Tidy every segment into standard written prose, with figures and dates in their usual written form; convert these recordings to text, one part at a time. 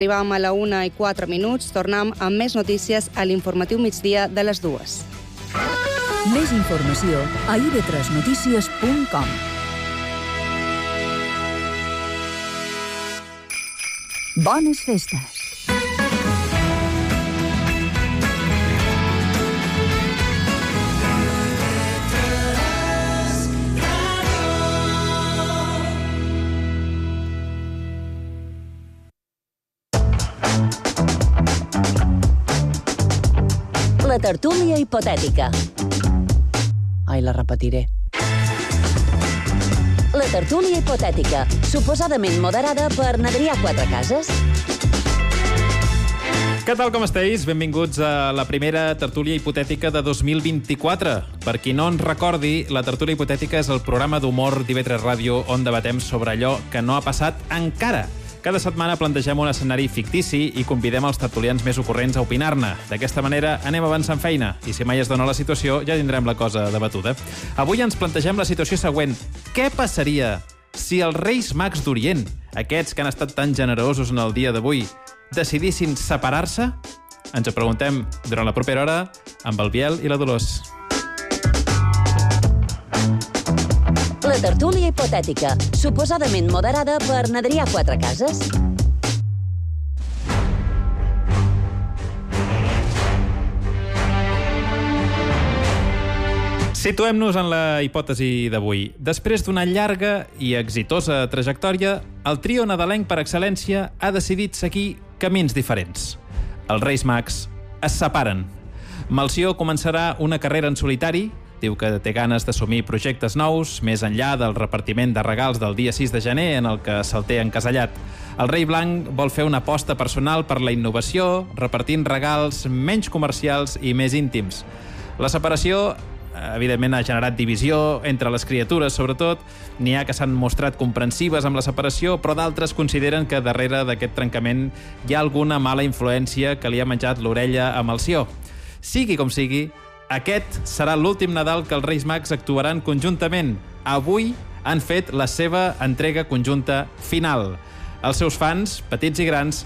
Arribàvem a la 1:04, tornem amb més notícies a l'informatiu migdia de les 2. Més informació a ib3notícies.com. Bones festes! La tertúlia hipotètica. Ai, la repetiré. La tertúlia hipotètica, suposadament moderada per Adrià Quatrecases. Què tal, com esteu? Benvinguts a la primera tertúlia hipotètica de 2024. Per qui no ens recordi, la tertúlia hipotètica és el programa d'humor d'IV3 Ràdio on debatem sobre allò que no ha passat encara. Cada setmana plantegem un escenari fictici i convidem els tertulians més ocorrents a opinar-ne. D'aquesta manera anem avançant feina i si mai es dona la situació ja tindrem la cosa debatuda. Avui ens plantegem la situació següent. Què passaria si els Reis Mags d'Orient, aquests que han estat tan generosos en el dia d'avui, decidissin separar-se? Ens ho preguntem durant la propera hora amb el Biel i la Dolors. La tertúlia hipotètica, suposadament moderada per Adrià Quatrecases. Situem-nos en la hipòtesi d'avui. Després d'una llarga i exitosa trajectòria, el trio nadalenc per excel·lència ha decidit seguir camins diferents. Els Reis Mags es separen. Melcior començarà una carrera en solitari. Diu que té ganes d'assumir projectes nous, més enllà del repartiment de regals del dia 6 de gener, en el que se'l té encasellat. El Rei Blanc vol fer una aposta personal per la innovació, repartint regals menys comercials i més íntims. La separació, evidentment, ha generat divisió entre les criatures, sobretot. N'hi ha que s'han mostrat comprensives amb la separació, però d'altres consideren que darrere d'aquest trencament hi ha alguna mala influència que li ha menjat l'orella a Melcior. Sigui com sigui, aquest serà l'últim Nadal que els Reis Mags actuaran conjuntament. Avui han fet la seva entrega conjunta final. Els seus fans, petits i grans,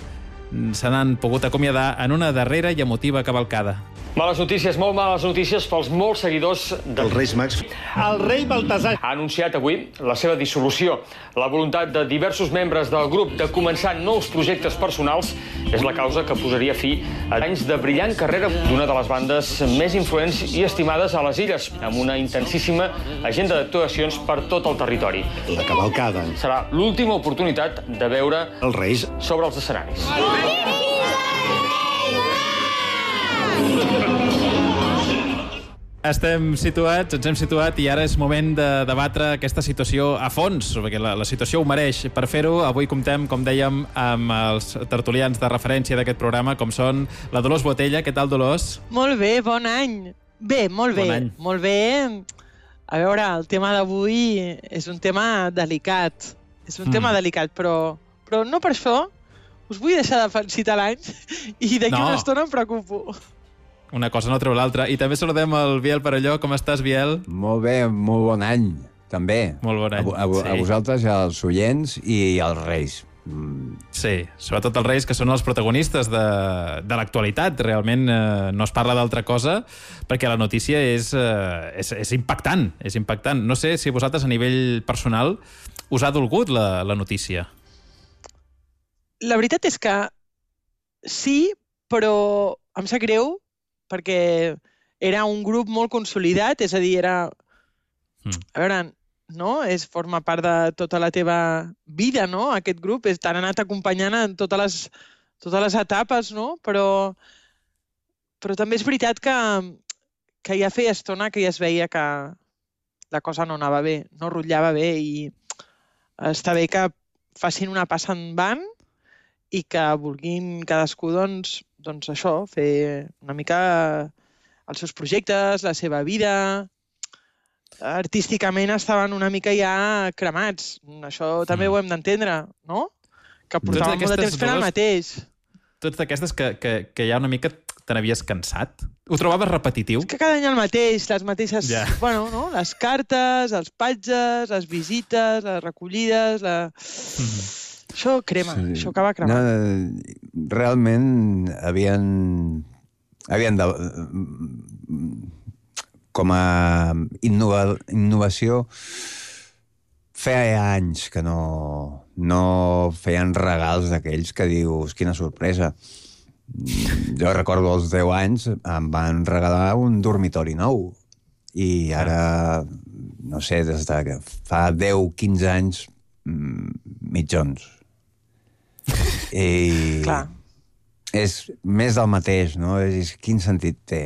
se n'han pogut acomiadar en una darrera i emotiva cavalcada. Males notícies, molt males notícies pels molts seguidors dels Reis Mags. El rei Baltasar ha anunciat avui la seva dissolució. La voluntat de diversos membres del grup de començar nous projectes personals és la causa que posaria fi a anys de brillant carrera d'una de les bandes més influents i estimades a les illes, amb una intensíssima agenda d'actuacions per tot el territori. La cavalcada. Serà l'última oportunitat de veure Els Reis sobre els escenaris. Ens hem situat i ara és moment de debatre aquesta situació a fons, perquè la situació ho mereix. Per fer-ho, avui comptem, com dèiem, amb els tertulians de referència d'aquest programa, com són la Dolors Botella. Què tal, Dolors? Molt bé, bon any. Bé, molt bé. Bon any. Molt bé. A veure, el tema d'avui és un tema delicat. És un tema delicat, però no per això us vull deixar de felicitar l'any i d'aquí una estona em preocupo. Una cosa no treu l'altra. I també saludem el Biel Perelló. Com estàs, Biel? Molt bé, molt bon any, també. Molt bon any. A vosaltres, als oients i als Reis. Sí, sobretot els Reis, que són els protagonistes de l'actualitat. Realment no es parla d'altra cosa, perquè la notícia és impactant. És impactant. No sé si vosaltres, a nivell personal, us ha dolgut la notícia. La veritat és que sí, però em sap greu, perquè era un grup molt consolidat, és a dir, era... A veure, no? Forma part de tota la teva vida, no? Aquest grup t'han anat acompanyant en totes les etapes, no? Però també és veritat que ja feia estona que ja es veia que la cosa no anava bé, no rotllava bé, i està bé que facin una passa endavant i que vulguin cadascú, doncs això, fer una mica els seus projectes, la seva vida. Artísticament estaven una mica ja cremats. Això també ho hem d'entendre, no? Que portaven molt de temps fent el mateix. Tots d'aquestes que ja una mica te n'havies cansat? Ho trobaves repetitiu? És que cada any el mateix, les mateixes... Bueno, no? Les cartes, els patges, les visites, les recollides... Això crema, això acaba cremant. No, realment havien de... Com a innovació, feia anys que no feien regals d'aquells que dius, quina sorpresa. Jo recordo als 10 anys em van regalar un dormitori nou i ara, no sé, des de que fa 10-15 anys, mitjons. I Clar. és més del mateix, no? Quin sentit té?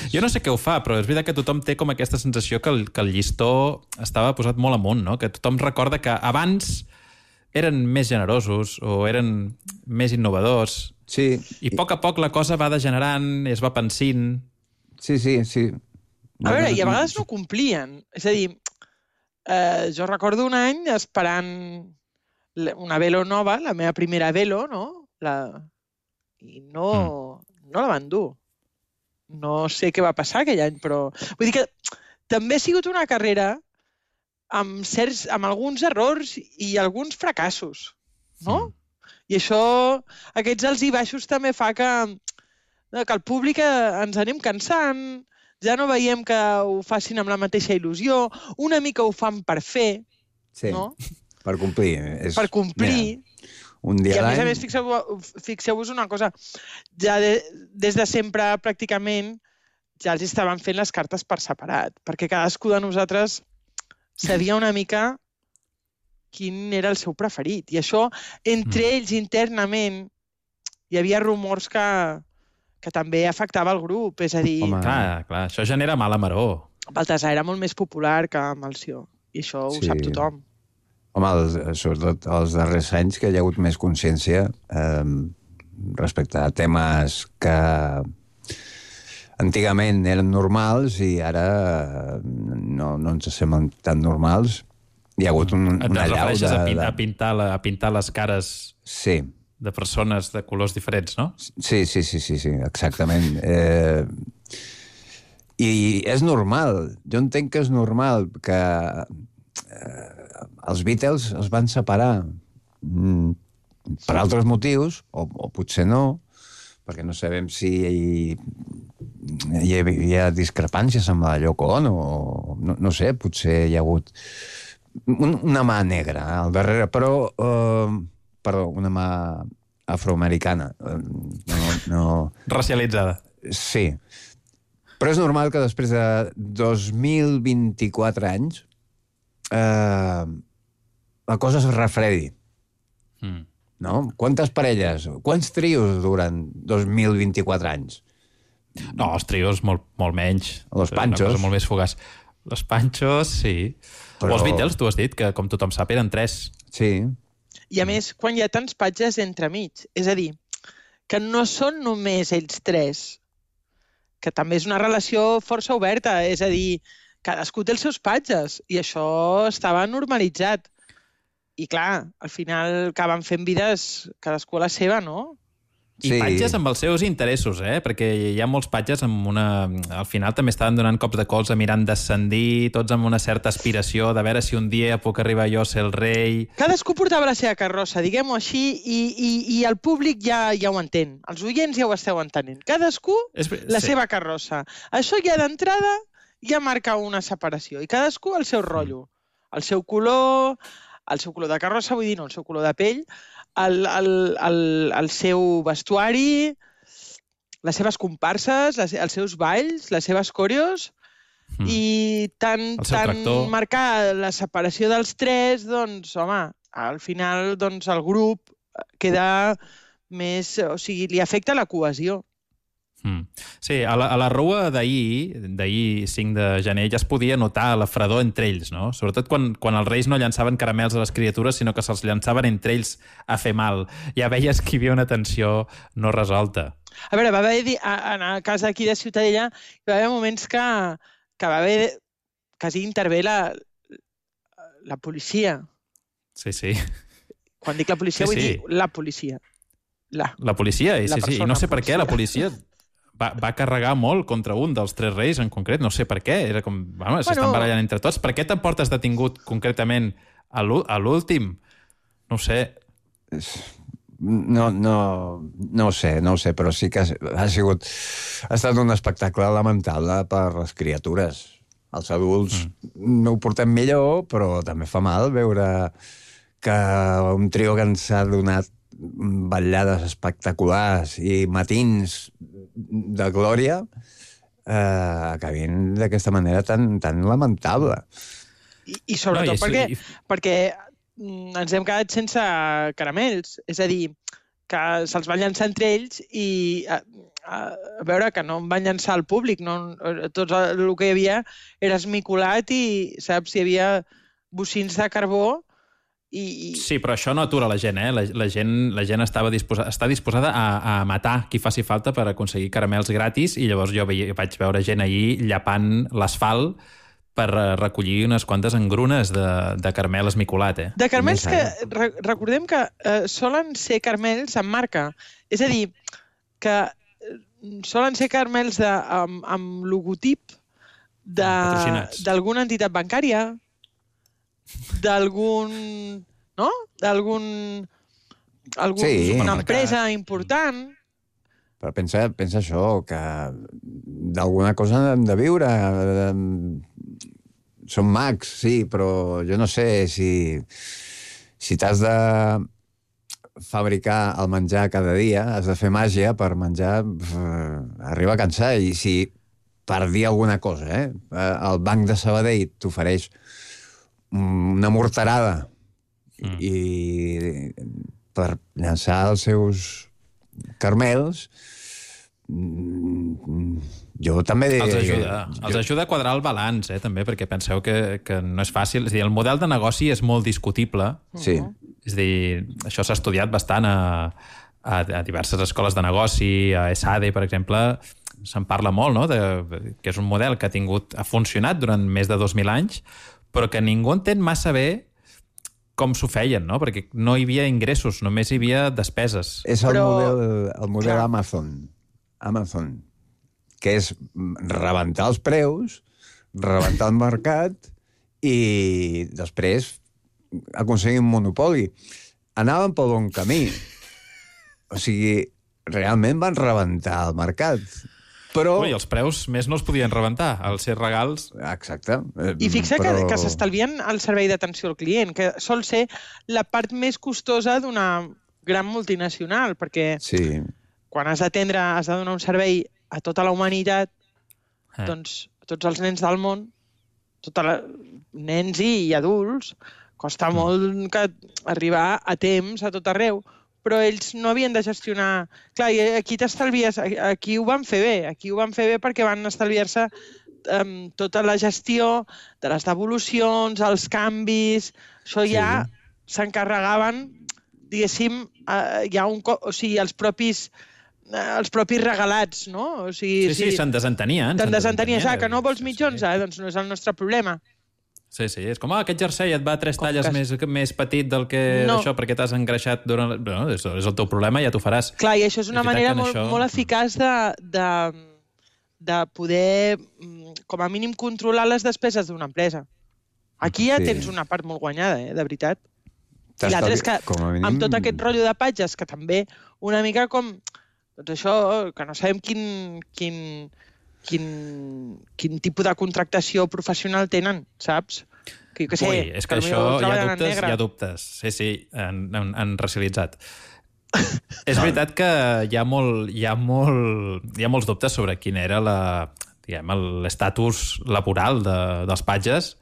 Jo no sé què ho fa, però és veritat que tothom té com aquesta sensació que el llistó estava posat molt amunt, no? Que tothom recorda que abans eren més generosos o eren més innovadors. Sí. I a poc la cosa va degenerant, es va pensint. Sí. A veure, i a vegades no complien. És a dir, jo recordo un any esperant una velo nova, la meva primera velo, no? I no la van dur. No sé què va passar aquell any, però... Vull dir que també ha sigut una carrera amb alguns errors i alguns fracassos, no? I això, aquests alts i baixos també fa que el públic ens anem cansant, ja no veiem que ho facin amb la mateixa il·lusió, una mica ho fan per fer, sí, no? Per complir. Per complir. Mira, un dia I a l'any... més, fixeu-vos una cosa, ja des de sempre pràcticament ja els estaven fent les cartes per separat, perquè cadascú de nosaltres sabia una mica quin era el seu preferit. I això, entre ells, internament, hi havia rumors que també afectava el grup. És a dir, Home. Clar, això genera mala maror. Baltasar era molt més popular que Melcior, i això ho sap tothom. Home, sobretot els darrers anys que hi ha hagut més consciència respecte a temes que antigament eren normals i ara no ens semblen tan normals. Hi ha hagut una Et allau refereixes a pintar les cares Sí. de persones de colors diferents, no? Sí, exactament. I és normal. Jo entenc que és normal que els Beatles es van separar per altres motius, o potser no, perquè no sabem si hi havia discrepàncies amb la Yoko Ono, o no sé, potser hi ha hagut una mà negra al darrere, però... Perdó, una mà afroamericana. Racialitzada. Sí. Però és normal que després de 2024 anys la cosa es refredi. No? Quantes parelles, quants trios duren 2024 anys? No, els trios molt menys. Los Panchos. Una cosa molt més fugaç. Los Panchos, sí. Però... O els Beatles, tu has dit, que com tothom sap eren 3. Sí. I a més, quan hi ha tants patges entremig, és a dir, que no són només ells 3, que també és una relació força oberta, és a dir, cadascú té els seus patges, i això estava normalitzat. I clar, al final acaben fent vides cadascú a la seva, no? I patges amb els seus interessos, perquè hi ha molts patges amb una... Al final també estaven donant cops de colze mirant descendir, tots amb una certa aspiració de veure si un dia puc arribar jo a ser el rei... Cadascú portava la seva carrossa, diguem-ho així, i el públic ja ho entén. Els oients ja ho esteu entenent. Cadascú la seva carrossa. Això ja d'entrada ja marca una separació. I cadascú el seu rotllo. El seu color de carrossa, vull dir, no, el seu color de pell, el seu vestuari, les seves comparses, els seus balls, les seves coreos, i tant marcar la separació dels 3, doncs, home, al final doncs, el grup queda més... O sigui, li afecta la cohesió. Sí, a la rua d'ahir 5 de gener, ja es podia notar la fredor entre ells, no? Sobretot quan els reis no llançaven caramels a les criatures, sinó que se'ls llançaven entre ells a fer mal. Ja veies que hi havia una tensió no resolta. A veure, va haver, en el cas d'aquí de Ciutadella, hi va haver moments que va haver quasi intervé la policia. Sí. Quan dic la policia, vull dir la policia. La policia, sí. I no sé per què la policia va carregar molt contra un dels 3 reis en concret. No sé per què. Era com, s'estan barallant entre tots. Per què t'emportes detingut concretament a l'últim? No ho sé. No ho sé, però sí que ha estat un espectacle lamentable per les criatures. Els adults no ho portem millor, però també fa mal veure que un trio que ens ha donat ballades espectaculars i matins de glòria acabin d'aquesta manera tan lamentable. I sobretot perquè ens hem quedat sense caramels. És a dir, que se'ls van llançar entre ells i a veure que no en van llançar al públic. Tot el que hi havia era esmicolat i, saps, hi havia bocins de carbó i... Sí, però això no atura la gent, eh? La gent està disposada a matar qui faci falta per aconseguir caramels gratis i llavors jo vaig veure gent ahir llapant l'asfalt per recollir unes quantes engrunes de caramel esmicolat, eh? De caramels que, recordem que solen ser caramels amb marca. És a dir, que solen ser caramels amb logotip d'alguna entitat bancària, d'alguna empresa important. Però pensa això, que d'alguna cosa hem de viure. Són mags, sí, però jo no sé si t'has de fabricar el menjar cada dia, has de fer màgia per menjar, arriba a cansar. I si, per dir alguna cosa, el Banc de Sabadell t'ofereix una morterada i per llançar els seus caramels, jo també... Els ajuda a quadrar el balanç, també, perquè penseu que no és fàcil. És a dir, el model de negoci és molt discutible. Sí. És a dir, això s'ha estudiat bastant a diverses escoles de negoci, a ESADE, per exemple, se'n parla molt, no?, que és un model que ha funcionat durant més de 2.000 anys, però que ningú entén massa bé com s'ho feien, no? Perquè no hi havia ingressos, només hi havia despeses. És el model Amazon, que és rebentar els preus, rebentar el mercat i després aconseguir un monopoli. Anaven pel bon camí. O sigui, realment van rebentar el mercat. Però... I els preus més no els podien rebentar, els ser regals... Exacte. I fixa que s'estalvien el servei d'atenció al client, que sol ser la part més costosa d'una gran multinacional, perquè quan has d'atendre, has de donar un servei a tota la humanitat, doncs a tots els nens del món, nens i adults, costa molt arribar a temps a tot arreu, però ells no havien de gestionar... Clar, i aquí t'estalvies... Aquí ho van fer bé, perquè van estalviar-se tota la gestió de les devolucions, els canvis... Això ja s'encarregaven, diguéssim, o sigui, els propis regalats, no? O sigui, sí, se'n desentenien. Se'n desentenien, que no vols mitjons? Doncs no és el nostre problema. Sí, és com, aquest jersei et va 3 talles més petit del que això, perquè t'has engreixat durant... No, és el teu problema, ja t'ho faràs. Clar, i això és una manera molt eficaç de poder, com a mínim, controlar les despeses d'una empresa. Aquí ja tens una part molt guanyada, de veritat. I l'altre és que, amb tot aquest rotllo de patges, que també una mica com... Doncs això, que no sabem quin tipus de contractació professional tenen, saps? Que jo què sé... Ui, és que això hi ha dubtes. Sí, han racialitzat. És veritat que hi ha molts dubtes sobre quin era l'estatus laboral dels patges,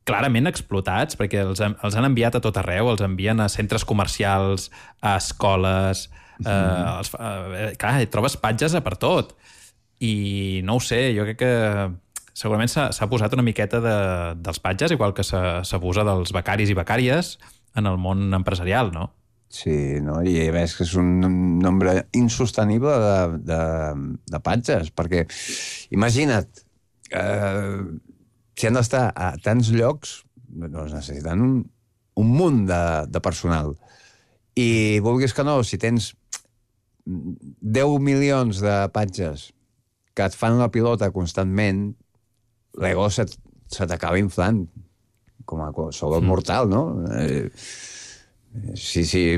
clarament explotats, perquè els han enviat a tot arreu, els envien a centres comercials, a escoles... Clar, trobes patges a per tot. I no ho sé, jo crec que segurament s'ha posat una miqueta dels patges, igual que s'abusa dels becaris i becàries en el món empresarial, no? Sí, no? I a més que és un nombre insostenible de patges, perquè imagina't, si han d'estar a tants llocs, doncs necessiten un munt de personal. I vulguis que no, si tens 10 milions de patges que et fan la pilota constantment, l'ego se t'acaba inflant, com a qualsevol mortal, no? Sí.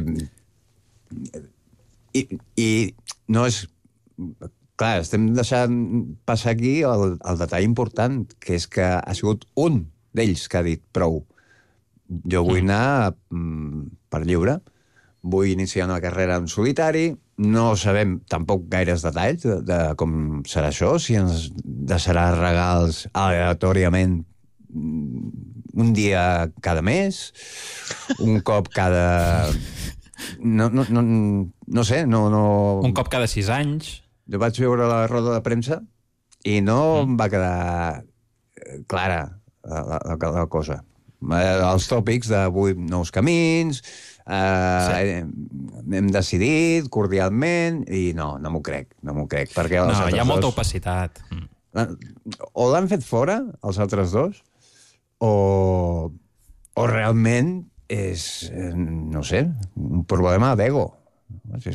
I no és... Clar, estem deixant passar aquí el detall important, que és que ha sigut un d'ells que ha dit prou. Jo vull anar per lliure, vull iniciar una carrera en solitari, no sabem tampoc gaires detalls de com serà això, si ens deixarà regals aleatòriament un dia cada mes, un cop cada... No sé, no... Un cop cada 6 anys. Jo vaig veure la roda de premsa i no em va quedar clara la cosa. Els tòpics de 8 nous camins, hem decidit cordialment i no m'ho crec, perquè no, hi ha molta opacitat. O l'han fet fora, els altres dos, o realment és, no sé, un problema d'ego.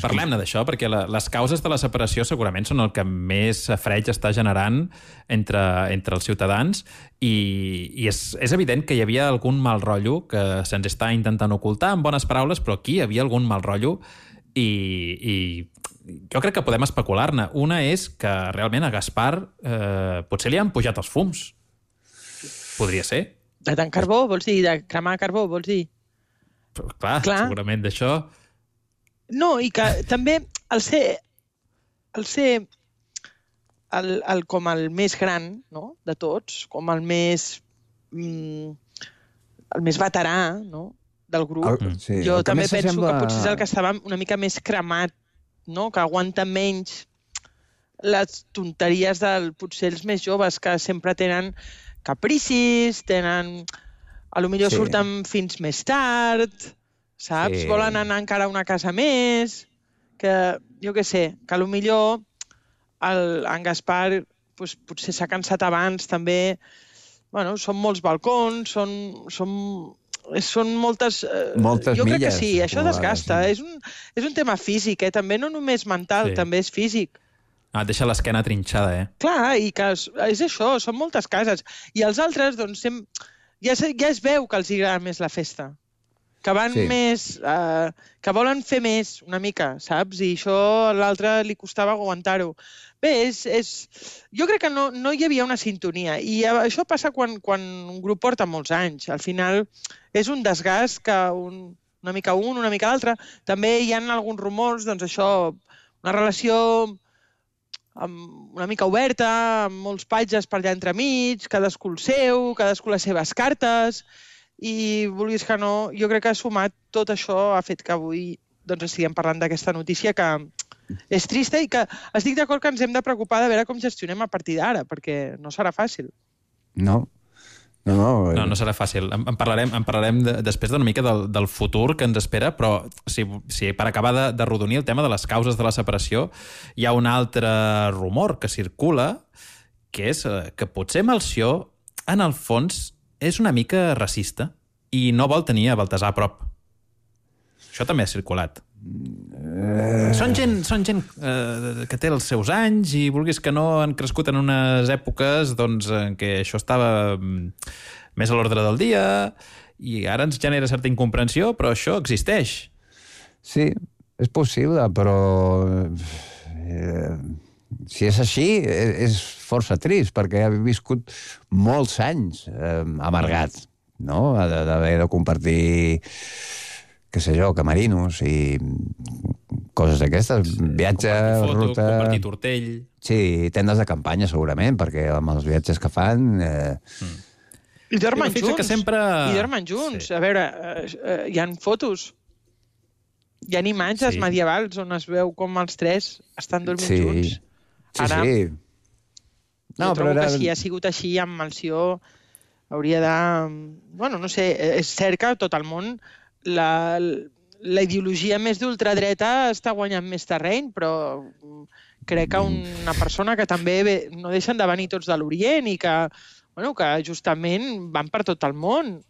Parlem-ne d'això, perquè les causes de la separació segurament són el que més freig està generant entre els ciutadans i és evident que hi havia algun mal rotllo que se'ns està intentant ocultar amb bones paraules, però aquí hi havia algun mal rotllo i jo crec que podem especular-ne. Una és que realment a Gaspar potser li han pujat els fums. Podria ser. De tant carbó, vols dir? De cremar carbó, vols dir? Però, clar, segurament d'això... No, i que també el ser com el més gran, no?, de tots, com el més veterà, no?, del grup. Sí, jo també penso que potser és el que estava una mica més cremat, no?, que aguanta menys les tonteries potser els més joves, que sempre tenen capricis, potser surten fins més tard... Saps? Sí. Volen anar encara a una casa més, que, jo què sé, que potser en Gaspar potser s'ha cansat abans, també, bueno, són molts balcons, són moltes... Moltes jo milles. Crec que sí, això desgasta. Sí. És un tema físic, també no només mental, també és físic. Deixa l'esquena trinxada, Clar, i que és això, són moltes cases. I els altres, doncs, ja es veu que els agrada més la festa. Que van més... que volen fer més, una mica, saps? I això a l'altre li costava aguantar-ho. Bé, jo crec que no hi havia una sintonia. I això passa quan un grup porta molts anys. Al final és un desgast que una mica una mica l'altre. També hi ha alguns rumors, doncs això, una relació una mica oberta, amb molts patges per allà entremig, cadascú el seu, cadascú les seves cartes... I, vulguis que no, jo crec que ha sumat tot això, ha fet que avui estiguem parlant d'aquesta notícia que és trista i que estic d'acord que ens hem de preocupar de veure com gestionem a partir d'ara, perquè no serà fàcil. No serà fàcil. En parlarem després d'una mica del futur que ens espera, però si per acabar de rodonir el tema de les causes de la separació, hi ha un altre rumor que circula, que és que potser Melcior, en el fons, és una mica racista i no vol tenir a Baltasar a prop. Això també ha circulat. Són gent que té els seus anys i vulguis que no han crescut en unes èpoques en què això estava més a l'ordre del dia i ara ens genera certa incomprensió, però això existeix. Sí, és possible, però... Si és així, és força trist, perquè ha viscut molts anys amargat, no? D'haver de compartir, què sé jo, camerinos i coses d'aquestes. Viatge, ruta... Compartir tortell... Sí, tendes de campanya, segurament, perquè amb els viatges que fan... I dormen junts. A veure, hi ha fotos... Hi ha imatges medievals on es veu com els tres estan dormint junts. Ara, jo trobo que si ha sigut així amb Melcior hauria de... Bueno, no sé, és cert que tot el món la ideologia més d'ultradreta està guanyant més terreny, però crec que una persona que també no deixen de venir tots de l'Orient i que justament van per tot el món.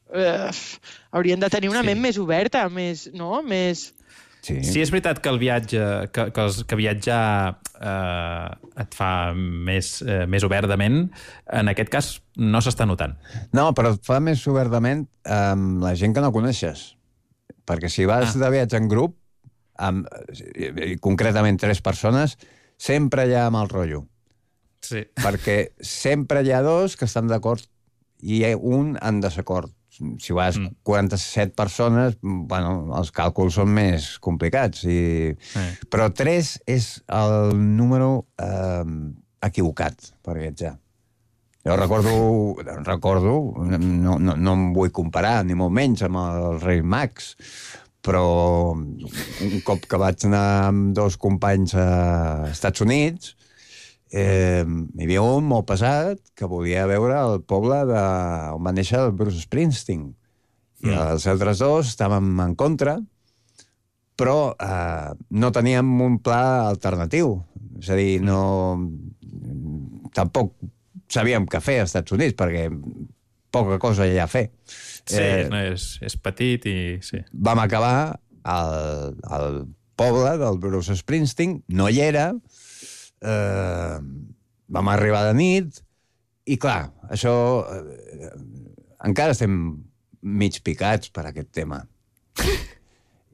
Haurien de tenir una ment més oberta, més... Sí, és veritat que el viatge, que viatjar et fa més obertament, en aquest cas no s'està notant. No, però et fa més obertament amb la gent que no coneixes. perquè si vas de viatge en grup, concretament 3 persones, sempre hi ha mal rotllo. Sí. Perquè sempre hi ha 2 que estan d'acord i un en desacord. Si vas 47 persones, bueno, els càlculs són més complicats. Però 3 és el número equivocat per viatjar. Jo recordo, no em vull comparar, ni molt menys, amb els Reis Mags, però un cop que vaig anar amb 2 companys a Estats Units, hi havia un molt pesat que volia veure el poble on va néixer el Bruce Springsteen. I els altres 2 estàvem en contra, però no teníem un pla alternatiu. És a dir, tampoc sabíem què fer als Estats Units, perquè poca cosa hi ha a fer. Sí, és petit i... Sí. Vam acabar al poble del Bruce Springsteen, no hi era, vam arribar de nit, i clar, això... encara estem mig picats per aquest tema.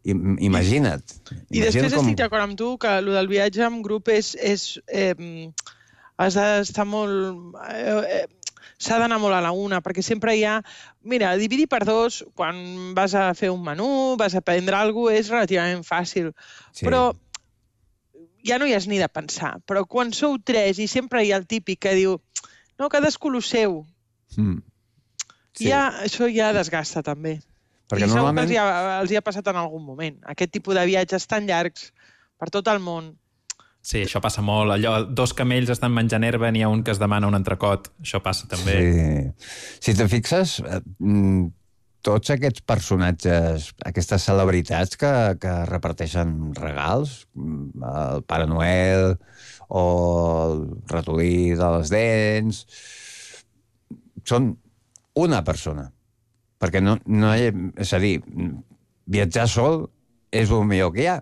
Imagina't. I després estic d'acord amb tu que el del viatge en grup has d'estar molt... s'ha d'anar molt a la una, perquè sempre hi ha... Mira, dividir per 2, quan vas a fer un menú, vas a prendre alguna cosa, és relativament fàcil. Sí. Però ja no hi has ni de pensar. Però quan sou 3 i sempre hi ha el típic que diu no, cadascú lo seu. Sí. Això ja desgasta, també. Perquè I normalment... segur que els hi ha passat en algun moment. Aquest tipus de viatges tan llargs per tot el món. Sí, això passa molt. Allò, 2 camells estan menjant herba, n'hi ha un que es demana un entrecot. Això passa també. Sí. Si te fixes, tots aquests personatges, aquestes celebritats que reparteixen regals, el Pare Noel o el ratolí de les dents, són una persona. Perquè no hi ha... És a dir, viatjar sol és el millor que hi ha.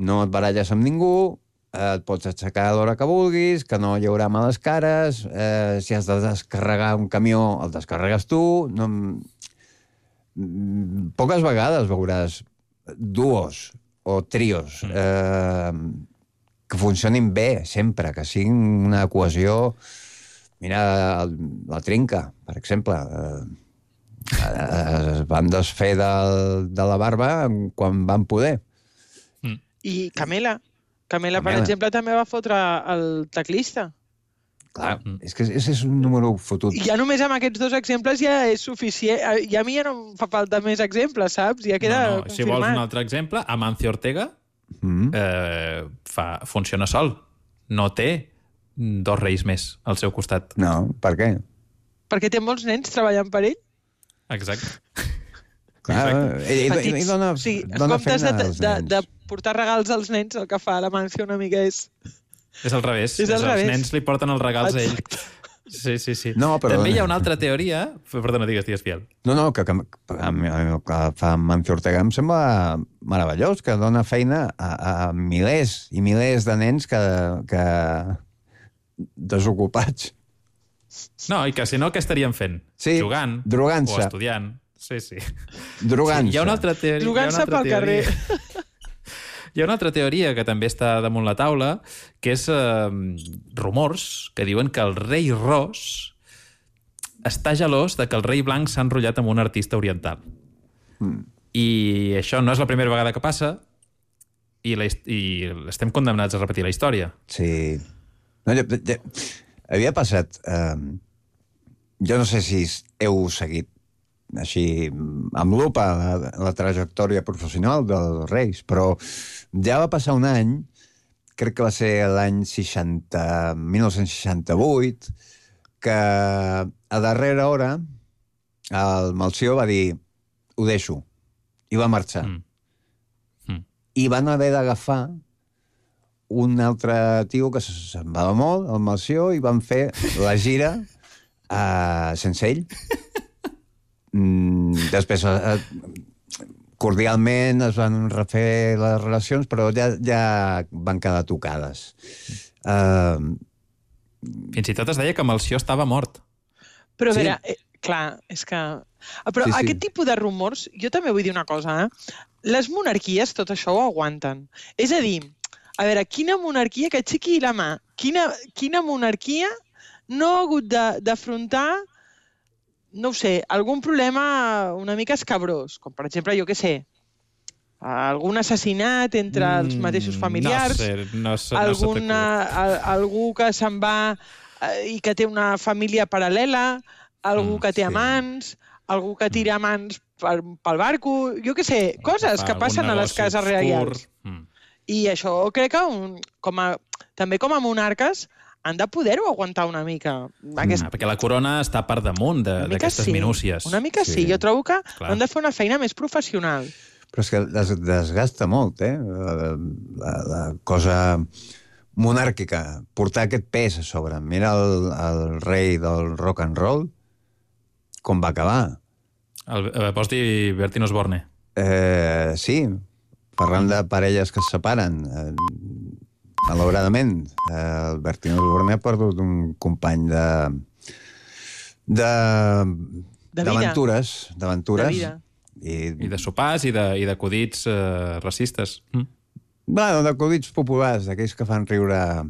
No et baralles amb ningú, et pots aixecar a l'hora que vulguis, que no hi haurà males cares, si has de descarregar un camió, el descarregues tu. Poques vegades veuràs duos o trios que funcionin bé sempre, que siguin una cohesió. Mira, la Trinca, per exemple, es van desfer de la barba quan van poder. I Camela, per exemple, també va fotre el teclista. Clar, és que és un número fotut. I ja només amb aquests 2 exemples ja és suficient. I a mi ja no em fa falta més exemples, saps? Ja queda confirmat. Si vols un altre exemple, Amancio Ortega funciona sol. No té 2 reis més al seu costat. No, per què? Perquè té molts nens treballant per ell. Exacte. Petits. En comptes de portar regals als nens, el que fa l'Amancio una mica és... És al revés. Els nens li porten els regals a ell. Sí. No, però... També hi ha una altra teoria... Perdona, digues, Fiel. No, que el que fa Amancio Ortega em sembla meravellós, que dona feina a milers i milers de nens que desocupats. No, i que si no, què estarien fent? Sí, jugant. Drogant-se. O estudiant. Sí. Drogant-se. Hi ha una altra teoria. Drogant-se pel carrer. Hi ha una altra teoria que també està damunt la taula, que és rumors que diuen que el rei Ros està gelós de que el rei blanc s'ha enrotllat amb un artista oriental. I això no és la primera vegada que passa i estem condemnats a repetir la història. Sí. No, havia passat... jo no sé si heu seguit així, amb lupa, la trajectòria professional dels Reis, però ja va passar un any, crec que va ser l'any 1968, que a darrera hora el Melcior va dir ho deixo, i va marxar. I van haver d'agafar un altre tio que se'n va molt, el Melcior, i van fer la gira sense ell. Després cordialment es van refer les relacions, però ja van quedar tocades. Fins i tot es deia que Melcior estava mort. Però a veure, Clar, és que... Però Sí, sí. aquest tipus de rumors, jo també vull dir una cosa, Les monarquies tot això ho aguanten. És a dir, a veure, quina monarquia, que aixequi la mà, quina monarquia no ha hagut d'afrontar, no ho sé, algun problema una mica escabrós, com per exemple, jo què sé, algun assassinat entre els mateixos familiars, no sé algú que se'n va i que té una família paral·lela, algú que té amants, algú que tira amants pel barco, jo què sé, coses que passen a les cases reials. I això crec que també com a monarques han de poder-ho aguantar una mica. Perquè la corona està per damunt d'aquestes minúcies. Una mica sí. Jo trobo que han de fer una feina més professional. Però és que desgasta molt, la cosa monàrquica, portar aquest pes a sobre. Mira el rei del rock and roll, com va acabar. Vols dir Bertín Osborne? Sí, parlant de parelles que es separen, malauradament. El Bertín Osborne ha perdut un company d'aventures. De vida. I de sopars i d'acudits racistes. Bueno, d'acudits populars, d'aquells que fan riure...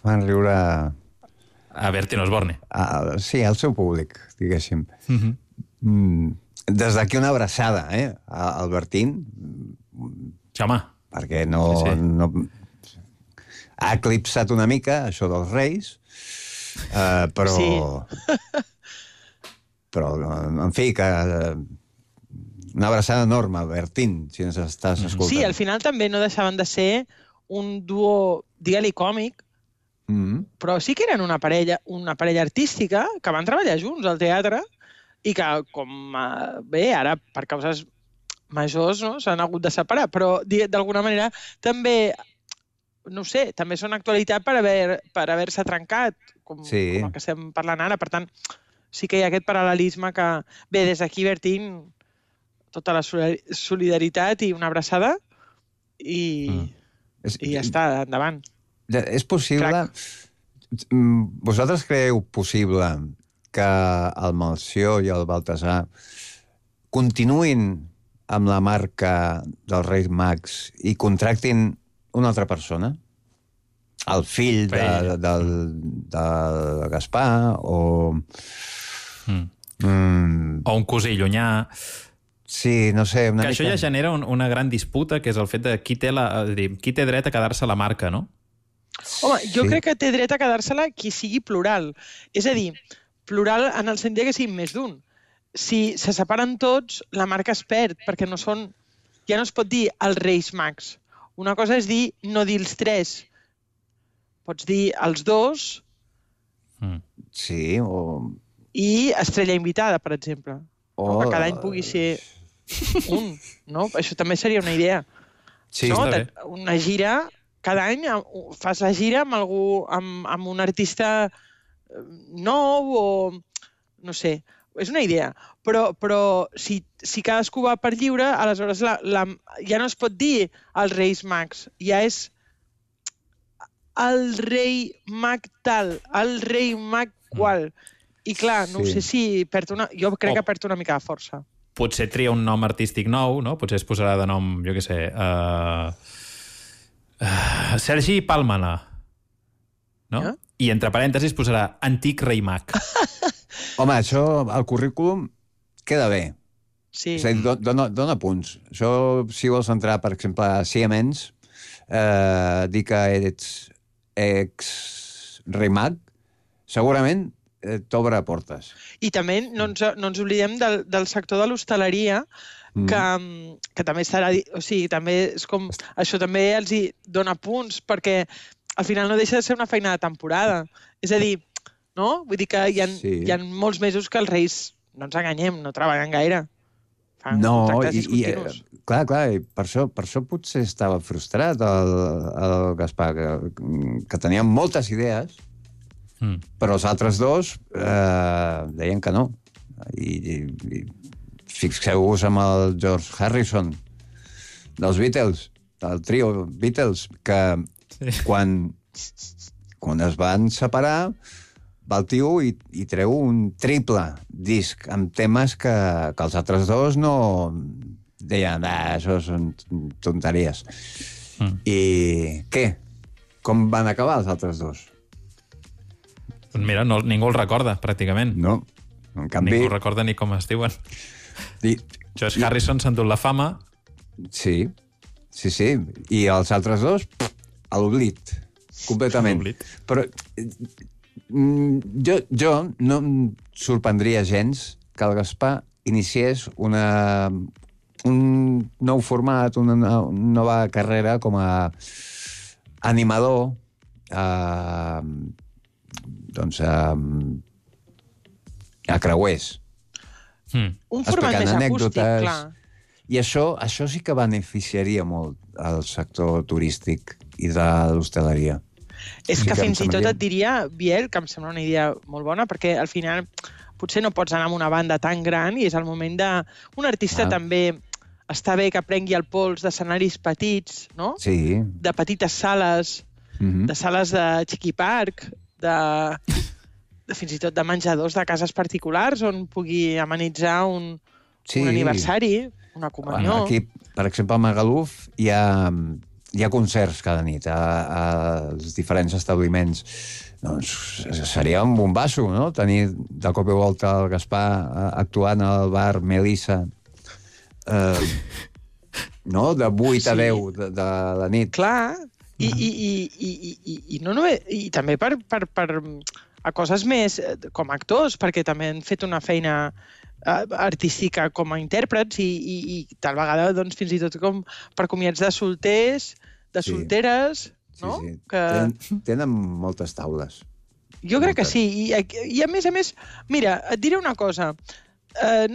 fan riure... A Bertín Osborne. Sí, al seu públic, diguéssim. Des d'aquí una abraçada, al Bertín. Sí, home. Perquè no... Ha eclipsat una mica això dels reis, però... Sí. Però, en fi, que... Una abraçada enorme, Bertín, si ens estàs escoltant. Sí, al final també no deixaven de ser un duo, digue-li còmic, però sí que eren una parella artística que van treballar junts al teatre i que, bé, ara per causes majors s'han hagut de separar, però d'alguna manera també, no sé, també són actualitat per haver-se trencat, com el que estem parlant ara. Per tant, sí que hi ha aquest paral·lelisme que, bé, des d'aquí, Bertín, tota la solidaritat i una abraçada i ja està, endavant. És possible... Vosaltres creieu possible que el Melcior i el Baltasar continuïn amb la marca dels Reis Mags i contractin una altra persona? El fill del Gaspar o... O un cosí llunyà... Sí, no sé, una mica... Això ja genera una gran disputa, que és el fet de qui té dret a quedar-se la marca, no? Home, jo crec que té dret a quedar-se-la qui sigui plural. És a dir, plural en el sentit que sigui més d'un. Si se separen tots, la marca es perd, perquè no són... Ja no es pot dir els Reis Mags. Una cosa és dir, no dir els tres. Pots dir els dos... Sí, o... I estrella invitada, per exemple. Que cada any pugui ser un, no? Això també seria una idea. Sí, està bé. Una gira... Cada any fas la gira amb algú, amb un artista nou o... No sé, és una idea. Però si cadascú va per lliure, aleshores ja no es pot dir els Reis Mags, ja és el rei mag tal, el rei mag qual. I clar, no sé si jo crec que perd una mica de força. Potser tria un nom artístic nou, no? Potser es posarà de nom, jo què sé... Sergi Pàlmana, no? I entre parèntesis posarà Antic Rei Mag. Home, això al currículum queda bé. Sí. És a dir, dona punts. Això, si vols entrar, per exemple, a Siemens, dir que ets ex-Rei Mag, segurament t'obre portes. I també no ens oblidem del sector de l'hostaleria, que també estarà... O sigui, també és com... Això també els hi dona punts, perquè al final no deixa de ser una feina de temporada. És a dir, no? Vull dir que hi ha molts mesos que els reis, no ens enganyem, no treballen gaire. Fan contractes discontinus. Clar, i per això potser estava frustrat el Gaspar, que tenia moltes idees, però els altres dos deien que no. I fixeu-vos amb el George Harrison dels Beatles, del trio Beatles, que quan es van separar va el tio i treu un triple disc amb temes que els altres dos no deien, això són tonteries. I què? Com van acabar els altres dos? Mira, ningú el recorda, pràcticament. No, en canvi... Ningú recorda ni com es diuen. George Harrison s'ha endut la fama. Sí. I els altres dos, a l'oblit, completament. Però jo no em sorprendria gens que el Gaspar iniciés un nou format, una nova carrera com a animador, a creuers. Un format més acústic, clar. I això sí que beneficiaria molt al sector turístic i de l'hostaleria. És que fins i tot et diria, Biel, que em sembla una idea molt bona, perquè al final potser no pots anar amb una banda tan gran i és el moment d'un artista també està bé que prengui el pols d'escenaris petits, no? Sí. De petites sales, de sales de Chiqui Park, de fins i tot de menjadors de cases particulars on pugui amenitzar un aniversari, una comunió. Aquí, per exemple, a Magaluf hi ha concerts cada nit als diferents establiments. Doncs seria un bombasso, no?, tenir de cop i volta el Gaspar actuant al bar Melissa, no?, de 8 a 10 de la nit. Clar, i no només, i també per a coses més com a actors, perquè també han fet una feina artística com a intèrprets i tal vegada doncs, fins i tot com per comiats de solters, de solteres, no? Sí. Tenen moltes taules. Jo crec que sí. I a més, mira, et diré una cosa.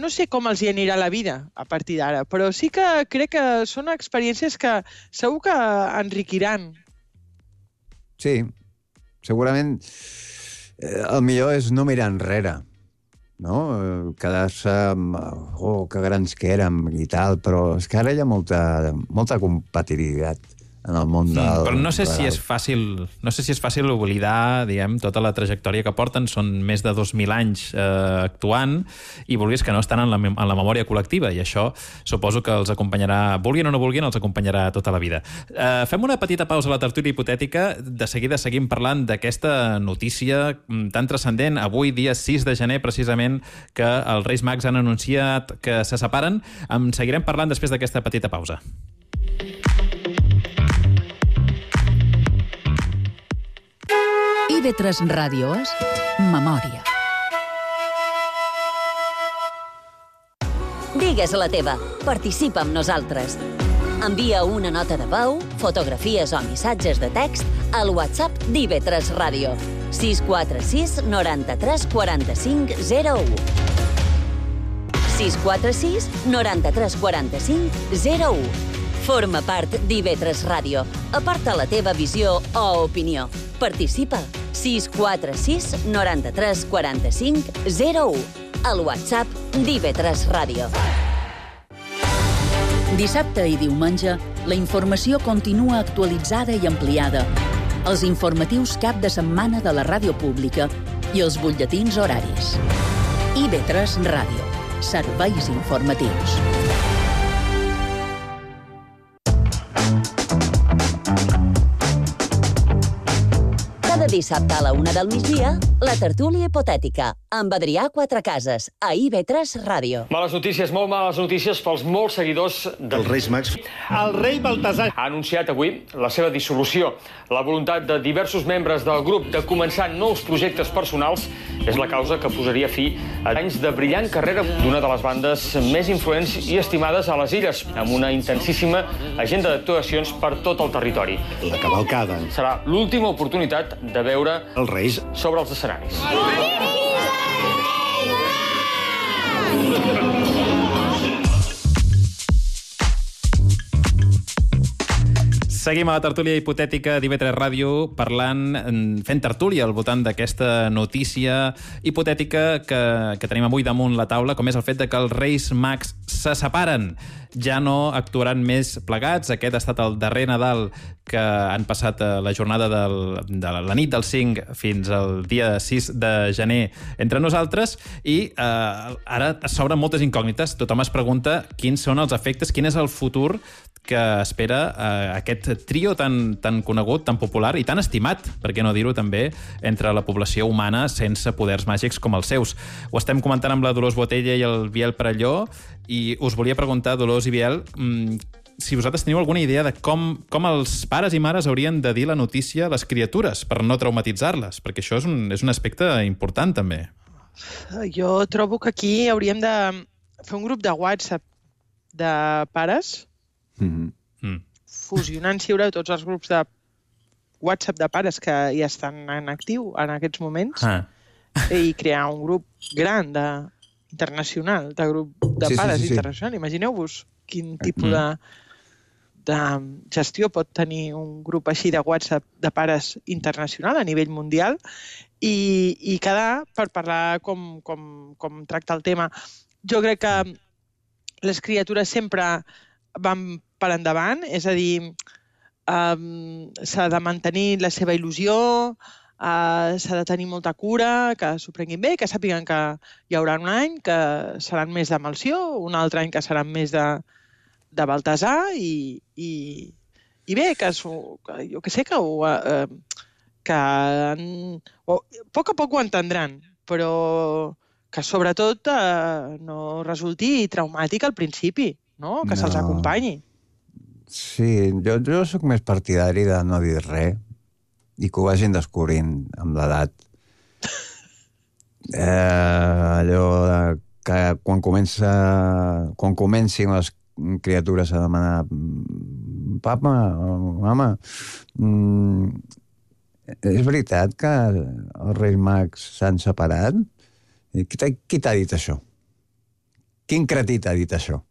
No sé com els hi anirà la vida a partir d'ara, però sí que crec que són experiències que segur que enriquiran. Sí, segurament el millor és no mirar enrere, no? Quedar-se amb que grans que érem i tal, però és que ara hi ha molta competitivitat en el món del... Però no sé si és fàcil oblidar, diguem, tota la trajectòria que porten. Són més de 2.000 anys actuant i vulguis que no estan en la memòria col·lectiva, i això suposo que els acompanyarà, vulguin o no vulguin, els acompanyarà tota la vida. Fem una petita pausa a la tertúlia hipotètica. De seguida seguim parlant d'aquesta notícia tan transcendent. Avui, dia 6 de gener, precisament, que els Reis Mags han anunciat que se separen. En seguirem parlant després d'aquesta petita pausa. IB3 Ràdio és Memòria. Digues la teva. Participa amb nosaltres. Envia una nota de veu, fotografies o missatges de text al WhatsApp d'IB3 Ràdio. 646 93 45 01. 646 93 45 01. Forma part d'IB3 Ràdio. Aporta la teva visió o opinió. Participa. 646 93 45 01. Al WhatsApp d'IB3 Ràdio. Dissabte i diumenge, la informació continua actualitzada i ampliada. Els informatius cap de setmana de la ràdio pública i els butlletins horaris. IB3 Ràdio. Serveis informatius. Cada dissabte a la 1 del migdia, la tertúlia hipotètica, amb Adrià Quatrecases, a IB3 Ràdio. Males notícies, molt males notícies pels molts seguidors dels Reis Mags. El rei Baltasar ha anunciat avui la seva dissolució. La voluntat de diversos membres del grup de començar nous projectes personals és la causa que posaria fi a anys de brillant carrera d'una de les bandes més influents i estimades a les Illes, amb una intensíssima agenda d'actuacions per tot el territori. La cavalcada serà l'última oportunitat de veure els Reis sobre els escenaris. Seguim a la tertúlia hipotètica d'IB3 Ràdio fent tertúlia al voltant d'aquesta notícia hipotètica que tenim avui damunt la taula, com és el fet de que els Reis Mags se separen. ja no actuaran més plegats. Aquest ha estat el darrer Nadal que han passat la jornada de la nit del 5 fins al dia 6 de gener entre nosaltres, i ara s'obren moltes incògnites. Tothom es pregunta quins són els efectes, quin és el futur que espera aquest trio tan conegut, tan popular i tan estimat, per què no dir-ho també, entre la població humana sense poders màgics com els seus. Ho estem comentant amb la Dolors Botella i el Biel Perelló, i us volia preguntar, Dolors i Biel, si vosaltres teniu alguna idea de com els pares i mares haurien de dir la notícia a les criatures per no traumatitzar-les, perquè això és un aspecte important també. Jo trobo que aquí hauríem de fer un grup de WhatsApp de pares, fusionant, si hi haurà tots els grups de WhatsApp de pares que ja estan en actiu en aquests moments, i crear un grup gran internacional, de grup de pares internacional. Imagineu-vos quin tipus de gestió pot tenir un grup així de WhatsApp de pares internacional a nivell mundial, i quedar per parlar com tracta el tema. Jo crec que les criatures sempre van per endavant, és a dir, s'ha de mantenir la seva il·lusió, s'ha de tenir molta cura, que s'ho prenguin bé, que sàpiguen que hi haurà un any que seran més de Melcior, un altre any que seran més de Baltasar, i bé, que jo que sé, que a poc ho entendran, però que sobretot no resulti traumàtic al principi, no? Que se'ls acompanyi. Sí, jo sóc més partidari de no dir res i que ho vagin descobrint amb l'edat. Allò que quan comencin les criatures a demanar papa, mama, és veritat que els Reis Mags s'han separat? Qui t'ha dit això? Quin cretí t'ha dit això?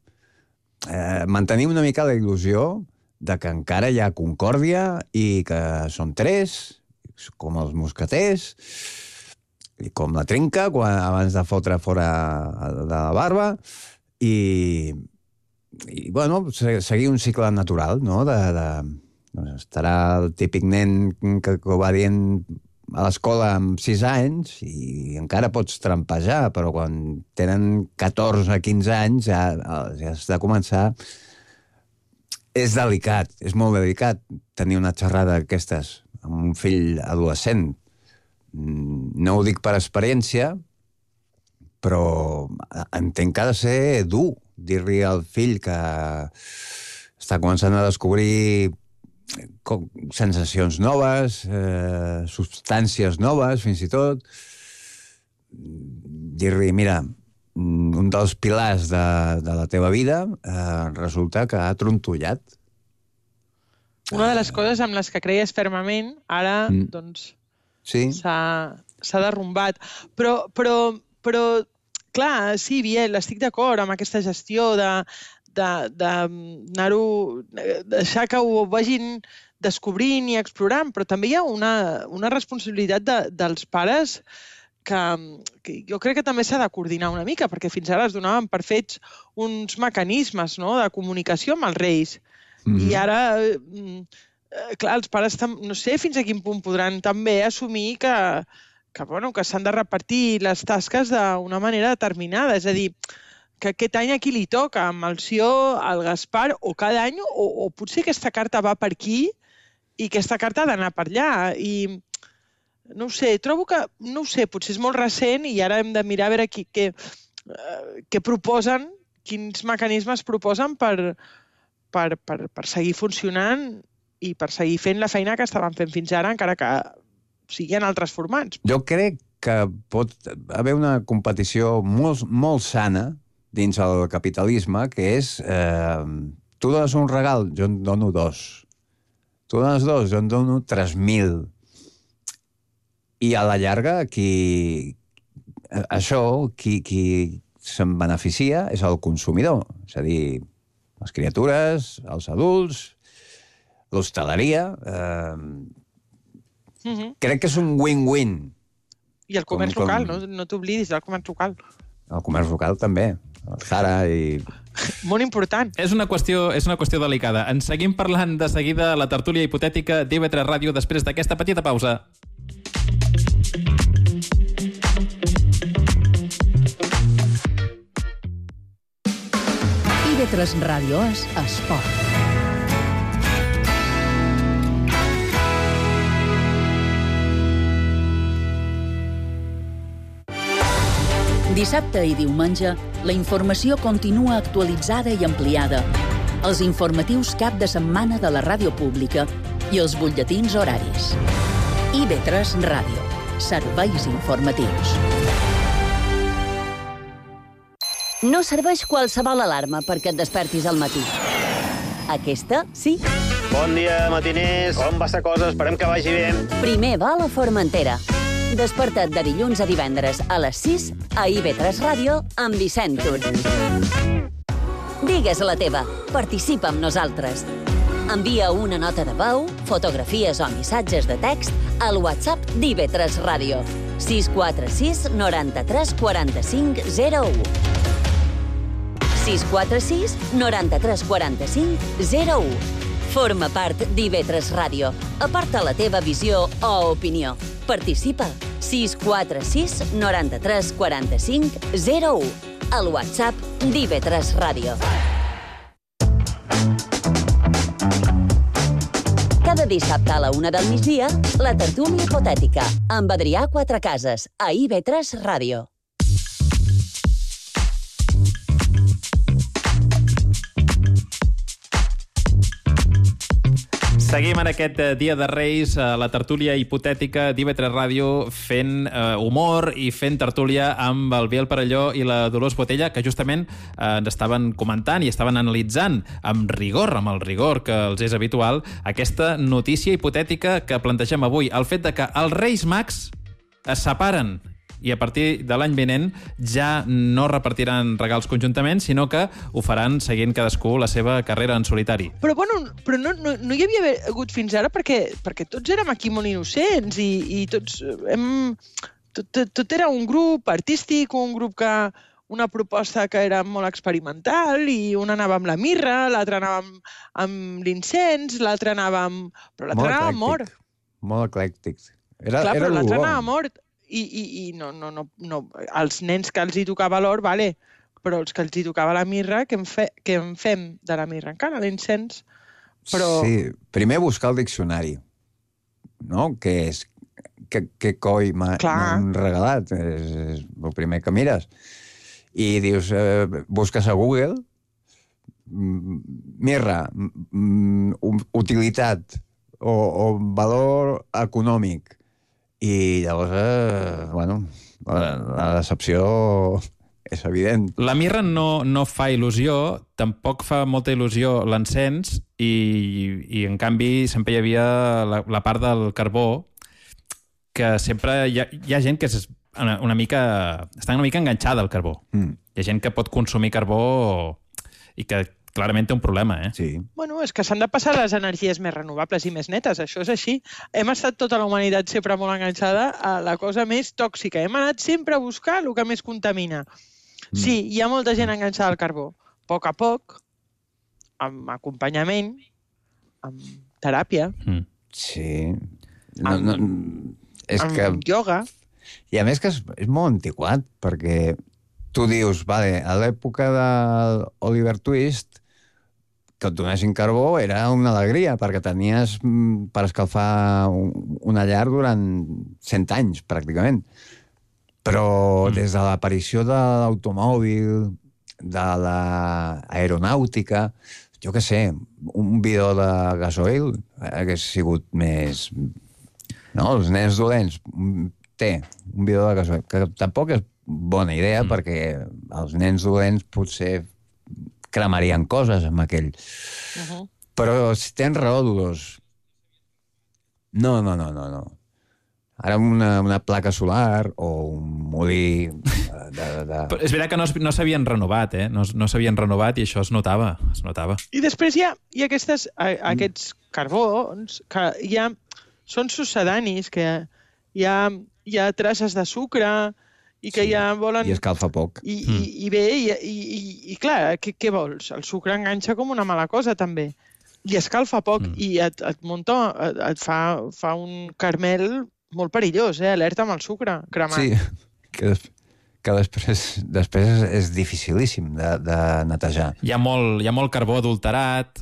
Mantenim una mica la il·lusió de que encara hi ha concòrdia i que són 3, com els mosqueters, i com la trinca abans de fotre fora de la barba, i bueno, seguir un cicle natural, no? Estarà el típic nen que ho va dient a l'escola amb 6 anys i encara pots trampejar, però quan tenen 14 o 15 anys ja has de començar. És delicat, és molt delicat tenir una xerrada d'aquestes amb un fill adolescent. No ho dic per experiència, però entenc que ha de ser dur dir-li al fill que està començant a descobrir sensacions noves, substàncies noves, fins i tot. Dir-li, mira, un dels pilars de la teva vida resulta que ha trontollat. Una de les coses amb les que creies fermament, ara, doncs, s'ha derrumbat. Però, clar, sí, Biel, estic d'acord amb aquesta gestió de deixar que ho vagin descobrint i explorant, però també hi ha una responsabilitat dels pares que jo crec que també s'ha de coordinar una mica, perquè fins ara es donaven per fets uns mecanismes, no?, de comunicació amb els reis. I ara, clar, els pares no sé fins a quin punt podran també assumir que s'han de repartir les tasques d'una manera determinada, és a dir, que aquest any a qui li toca, a Melcior, al Gaspar, o cada any, o potser aquesta carta va per aquí i aquesta carta ha d'anar per allà. I no ho sé, trobo que, no ho sé, potser és molt recent i ara hem de mirar a veure què proposen, quins mecanismes proposen per seguir funcionant i per seguir fent la feina que estaven fent fins ara, encara que sigui en altres formats. Jo crec que pot haver una competició molt, molt sana dins el capitalisme, que és tu dones un regal, jo en dono 2. Tu dones 2, jo en dono 3.000. I a la llarga, qui se'n beneficia és el consumidor. És a dir, les criatures, els adults, l'hostaleria. Crec que és un win-win. I el comerç local, no t'oblidis del comerç local. El comerç local també. el Jara i... Molt important. És una qüestió delicada. En seguim parlant de seguida a la tertúlia hipotètica d'IV3 Ràdio després d'aquesta petita pausa. IV3 Ràdio és esport. Dissabte i diumenge, la informació continua actualitzada i ampliada. Els informatius cap de setmana de la ràdio pública i els butlletins horaris. IV3 Ràdio. Serveis informatius. No serveix qualsevol alarma perquè et despertis al matí. Aquesta, sí. Bon dia, matiners. Com va la cosa? Esperem que vagi bé. Primer va a la Formentera. Desperta't de dilluns a divendres a les 6 a IV3 Ràdio amb Vicent Tur. Digues la teva. Participa amb nosaltres. Envia una nota de veu, fotografies o missatges de text al WhatsApp d'IV3 Ràdio. 646 93 45 01. 646 93 45 01. Forma part d'IV3 Ràdio. Aparta la teva visió o opinió. Participa. 646 93 45 01. Al WhatsApp d'IV3 Ràdio. Cada dissabte a la 1 del migdia, la tertúlia hipotètica amb Adrià Quatrecases a IV3 Ràdio. Seguim en aquest dia de Reis a la tertúlia hipotètica d'IV3 Ràdio fent humor i fent tertúlia amb el Biel Perelló i la Dolors Botella, que justament ens estaven comentant i estaven analitzant amb rigor, amb el rigor que els és habitual, aquesta notícia hipotètica que plantegem avui. El fet de que els Reis Mags es separen i a partir de l'any vinent ja no repartiran regals conjuntament, sinó que ho faran seguint cadascú la seva carrera en solitari. Però no hi havia hagut fins ara perquè tots érem aquí molt innocents i tots tot era un grup artístic, un grup que una proposta que era molt experimental i una anava amb la mirra, l'altra anava amb l'incens, l'altra anava amb... Però l'altra anava mort. Molt eclèctic. Clar, però l'altra anava mort. I no, els nens que els hi tocava l'or, vale, però els que els hi tocava la mirra, què en fem de la mirra encara, l'incens? Però... Sí, primer buscar el diccionari, no? Què coi m'han regalat? És el primer que mires. I dius, busques a Google, mirra, utilitat o valor econòmic. I llavors, la decepció és evident. La mirra no fa il·lusió, tampoc fa molta il·lusió l'encens i en canvi sempre hi havia la part del carbó, que sempre hi ha gent que està una mica enganxada al carbó. Hi ha gent que pot consumir carbó i que clarament té un problema, eh? Sí. Bueno, és que s'han de passar les energies més renovables i més netes, això és així. Hem estat tota la humanitat sempre molt enganxada a la cosa més tòxica. Hem anat sempre a buscar el que més contamina. Sí, hi ha molta gent enganxada al carbó. A poc, amb acompanyament, amb teràpia, sí. amb ioga. I a més que és molt antiquat, perquè tu dius, vale, a l'època de Oliver Twist, que et donessin carbó era una alegria, perquè tenies per escalfar una llar durant 100 anys, pràcticament. Però des de l'aparició de l'automòbil, de l'aeronàutica, jo què sé, un bidó de gasoil hagués sigut més... No, els nens dolents, un bidó de gasoil, que tampoc és bona idea, perquè els nens dolents potser cremarien coses amb aquell. Però si tens raó, Dolors. No. Ara una placa solar o un molí... Però és veritat que no s'havien renovat, eh? No s'havien renovat i això es notava. I després hi ha aquests carbons que són succedanis, que hi ha traces de sucre, i que ja volen... I escalfa poc. I bé, i clar, què vols? El sucre enganxa com una mala cosa, també. I escalfa poc, i et fa un caramel molt perillós, alerta amb el sucre cremat. Sí, que després és dificilíssim de netejar. Hi ha molt carbó adulterat,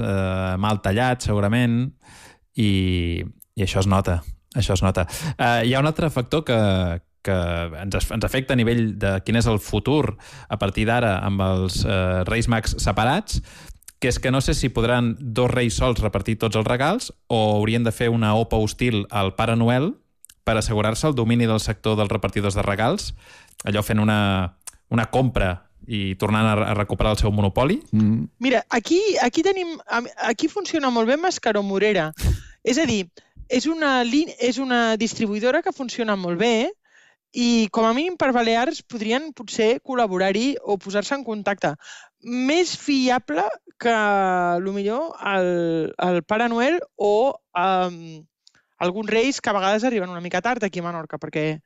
mal tallat, segurament, i això es nota. Hi ha un altre factor que ens afecta a nivell de quin és el futur a partir d'ara amb els Reis Mags separats, que és que no sé si podran dos reis sols repartir tots els regals o haurien de fer una OPA hostil al Pare Noel per assegurar-se el domini del sector dels repartidors de regals, allò fent una compra i tornant a recuperar el seu monopoli. Mira, aquí funciona molt bé Mascaró Morera. És a dir, és una distribuïdora que funciona molt bé i com a mínim per Balears podrien potser col·laborar-hi o posar-se en contacte. Més fiable que millor el Pare Noel o alguns reis que a vegades arriben una mica tard aquí a Menorca, perquè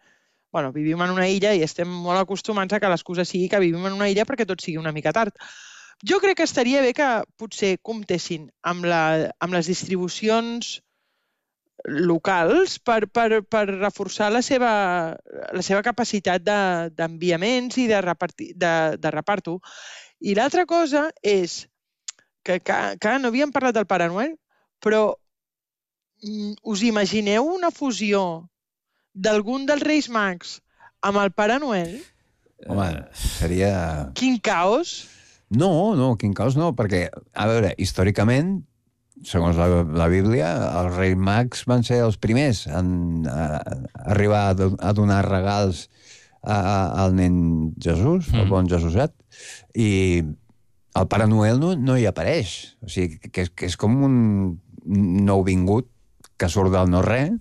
vivim en una illa i estem molt acostumats a que l'excusa sigui que vivim en una illa perquè tot sigui una mica tard. Jo crec que estaria bé que potser comptessin amb les distribucions locals per reforçar la seva capacitat d'enviaments i de reparto. I l'altra cosa és que no havíem parlat del Pare Noel, però us imagineu una fusió d'algun dels Reis Mags amb el Pare Noel? Home, seria... Quin caos? No, quin caos no, perquè, a veure, històricament, segons la Bíblia, els Reis Mags van ser els primers a arribar a donar regals al nen Jesús, el bon Jesuset, i el Pare Noel no hi apareix. O sigui, que és com un nouvingut que surt del no-res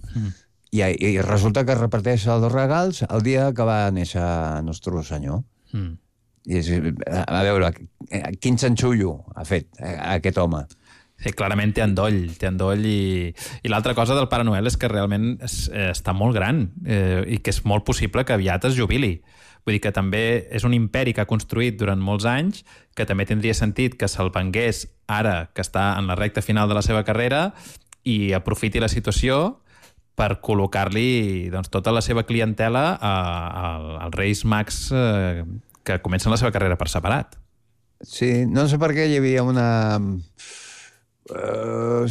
i resulta que reparteix els regals el dia que va néixer Nostre Senyor. I a veure, quin xanxullo ha fet aquest home? Sí, clarament té endoll i l'altra cosa del Pare Noel és que realment està molt gran i que és molt possible que aviat es jubili. Vull dir que també és un imperi que ha construït durant molts anys, que també tindria sentit que se'l vengués ara que està en la recta final de la seva carrera i aprofiti la situació per col·locar-li tota la seva clientela als Reis Mags que comencen la seva carrera per separat. Sí, no sé per què hi havia una...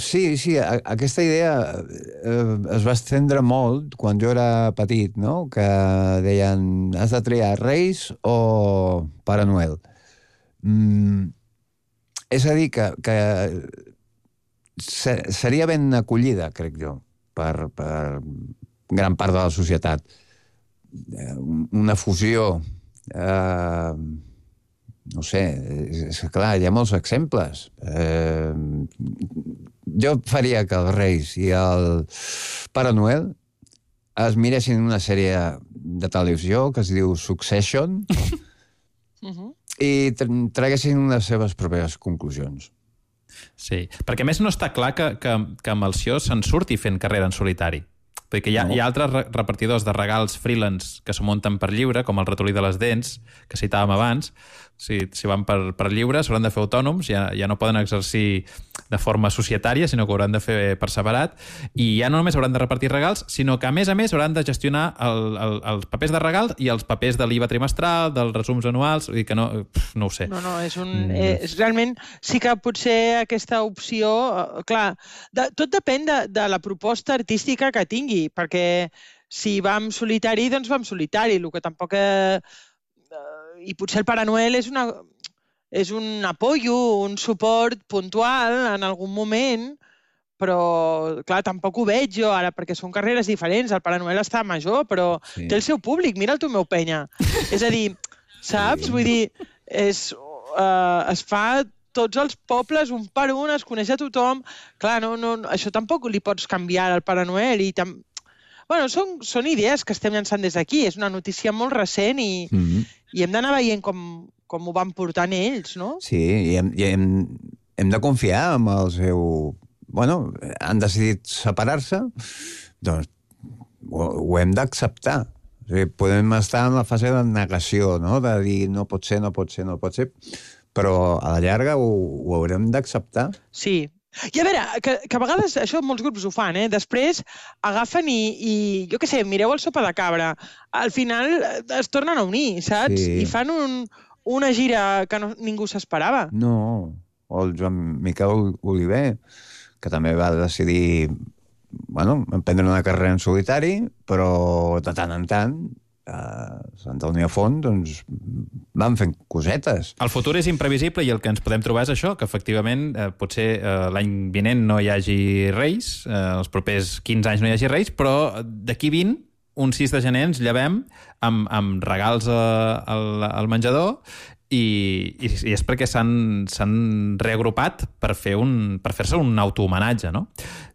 Sí, aquesta idea es va estendre molt quan jo era petit, no? Que deien, has de triar Reis o Pare Noel. És a dir, que seria ben acollida, crec jo, per gran part de la societat. Una fusió... No sé, és clar, hi ha molts exemples. Jo faria que els Reis i el Pare Noel es miressin una sèrie de televisió que es diu Succession i traguessin les seves pròpies conclusions. Sí, perquè a més no està clar que Melcior se'n surti fent carrera en solitari. Perquè hi ha altres repartidors de regals freelance que s'ho munten per lliure, com el ratolí de les dents, que citàvem abans. Si van per lliure, s'hauran de fer autònoms, ja no poden exercir de forma societària, sinó que ho hauran de fer per separat, i ja no només hauran de repartir regals, sinó que a més hauran de gestionar els papers de regals i els papers de l'IVA trimestral, dels resums anuals, vull dir que no ho sé. No, és realment sí que potser aquesta opció, clar, tot depèn de la proposta artística que tingui, perquè si va en solitari, doncs va en solitari, el que tampoc... I potser el Pare Noel és un apoyo, un suport puntual en algun moment, però, clar, tampoc ho veig jo ara, perquè són carreres diferents. El Pare Noel està major, però té el seu públic. Mira el Tomeu Penya. És a dir, saps? Vull dir, es fa tots els pobles, un per un, es coneix a tothom. Clar, això tampoc li pots canviar al Pare Noel i Bueno, són idees que estem llançant des d'aquí. És una notícia molt recent i hem d'anar veient com ho van portant ells, no? Sí, i hem de confiar en el seu... Bueno, han decidit separar-se, doncs ho hem d'acceptar. O sigui, podem estar en la fase de negació, no? De dir no pot ser, però a la llarga ho haurem d'acceptar. Sí. I a veure, que a vegades això molts grups ho fan, després agafen i jo què sé, mireu el Sopa de Cabra. Al final es tornen a unir, saps? Sí. I fan una gira que ningú s'esperava. No, o el Joan Miquel Oliver, que també va decidir emprendre una carrera en solitari, però de tant en tant Santa Unió Font, doncs, van fent cosetes. El futur és imprevisible i el que ens podem trobar és això, que efectivament potser l'any vinent no hi hagi Reis, els propers 15 anys no hi hagi Reis, però d'aquí 20, un 6 de gener ens llevem amb regals al menjador i és perquè s'han reagrupat per fer-se un autohomenatge, no?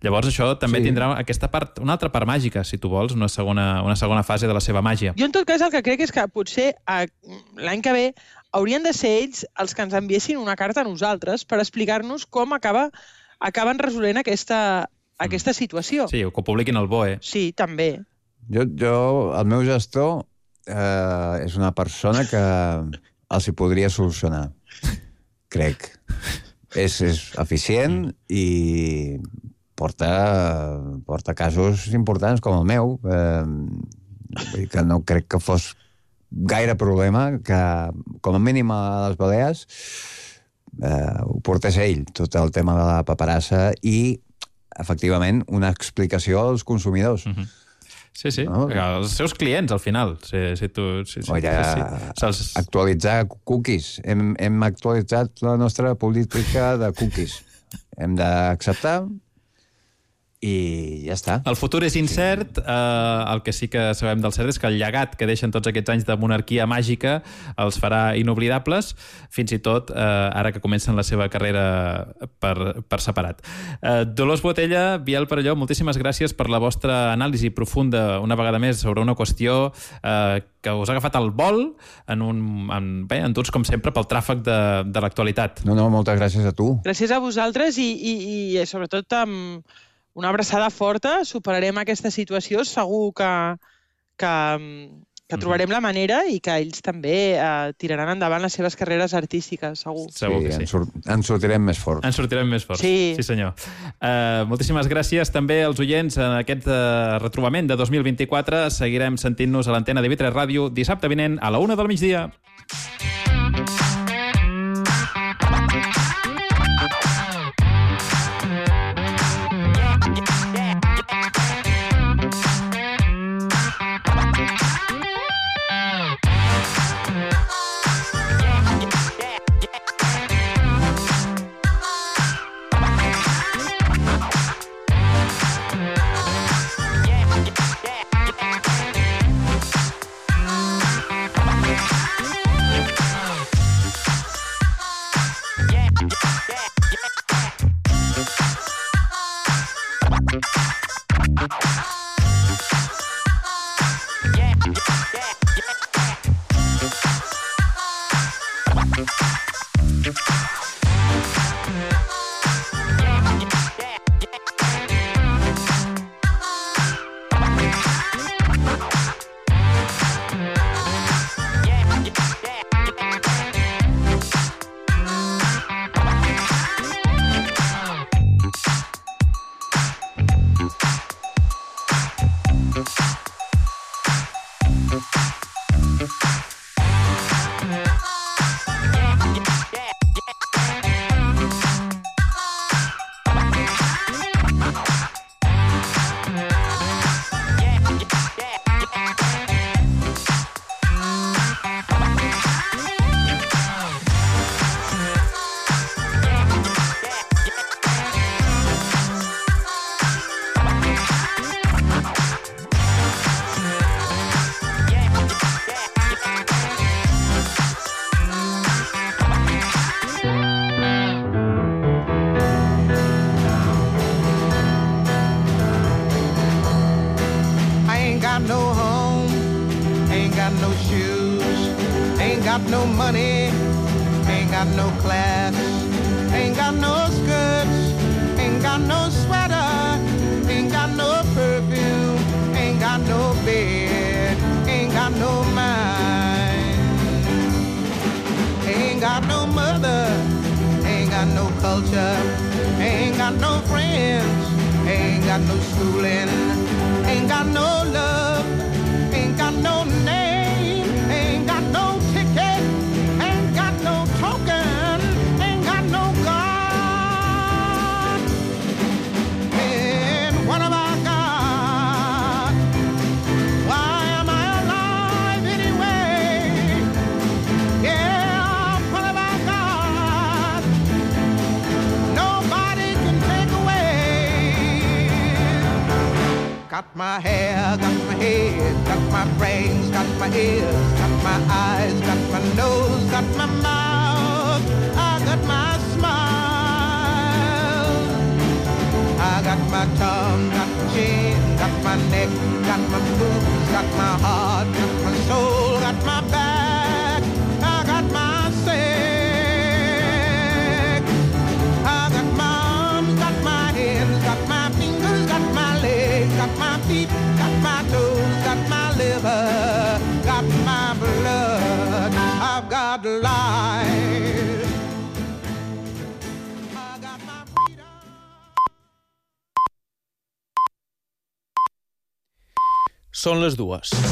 Llavors això també tindrà aquesta part, una altra part màgica, si tu vols, una segona fase de la seva màgia. Jo en tot cas el que crec és que potser l'any que ve haurien de ser ells els que ens enviessin una carta a nosaltres per explicar-nos com acaben resolent aquesta situació. Sí, que ho publiquin al BOE. Sí, també. El meu gestor és una persona que els hi podria solucionar, crec. És eficient i porta casos importants com el meu, que no crec que fos gaire problema, que com a mínim a les Balears ho portés ell, tot el tema de la paperassa i, efectivament, una explicació als consumidors. Sí, no? Els seus clients, al final. Actualitzar cookies. Hem actualitzat la nostra política de cookies. Hem d'acceptar i ja està. El futur és incert. El que sí que sabem del cert és que el llegat que deixen tots aquests anys de monarquia màgica els farà inoblidables, fins i tot ara que comencen la seva carrera per separat. Dolors Botella, Biel Perelló, moltíssimes gràcies per la vostra anàlisi profunda una vegada més sobre una qüestió que us ha agafat al vol enduts, com sempre, pel tràfic de l'actualitat. No, moltes gràcies a tu. Gràcies a vosaltres i sobretot amb una abraçada forta, superarem aquesta situació, segur que trobarem la manera i que ells també tiraran endavant les seves carreres artístiques, segur. Segur que sí. Ens sortirem més forts. Ens sortirem més forts, sí senyor. Moltíssimes gràcies també als oients en aquest retrobament de 2024. Seguirem sentint-nos a l'antena de TV3 Ràdio dissabte vinent a la 1 del migdia. got no money, ain't got no class, ain't got no skirts, ain't got no sweater, ain't got no perfume, ain't got no bed, ain't culture. Ain't got no friends, ain't got no schooling, ain't got no love, ain't got no name, ain't got no ticket, ain't got no token, ain't got no God. And what have I got? Why am I alive anyway? Yeah, what have I got? Nobody can take away. Got my hair, got my head, got my brains, got my ears, got my eyes, got my nose, got my mouth, I got my smile. I got my tongue, got my chin, got my neck, got my boobs, got my heart, got my soul, got my back, I got my sex. I got my arms, got my hands, got my fingers, got my legs, got my feet, got my toes, got my liver, got my blood. I've got life. I got my freedom. Són les 2.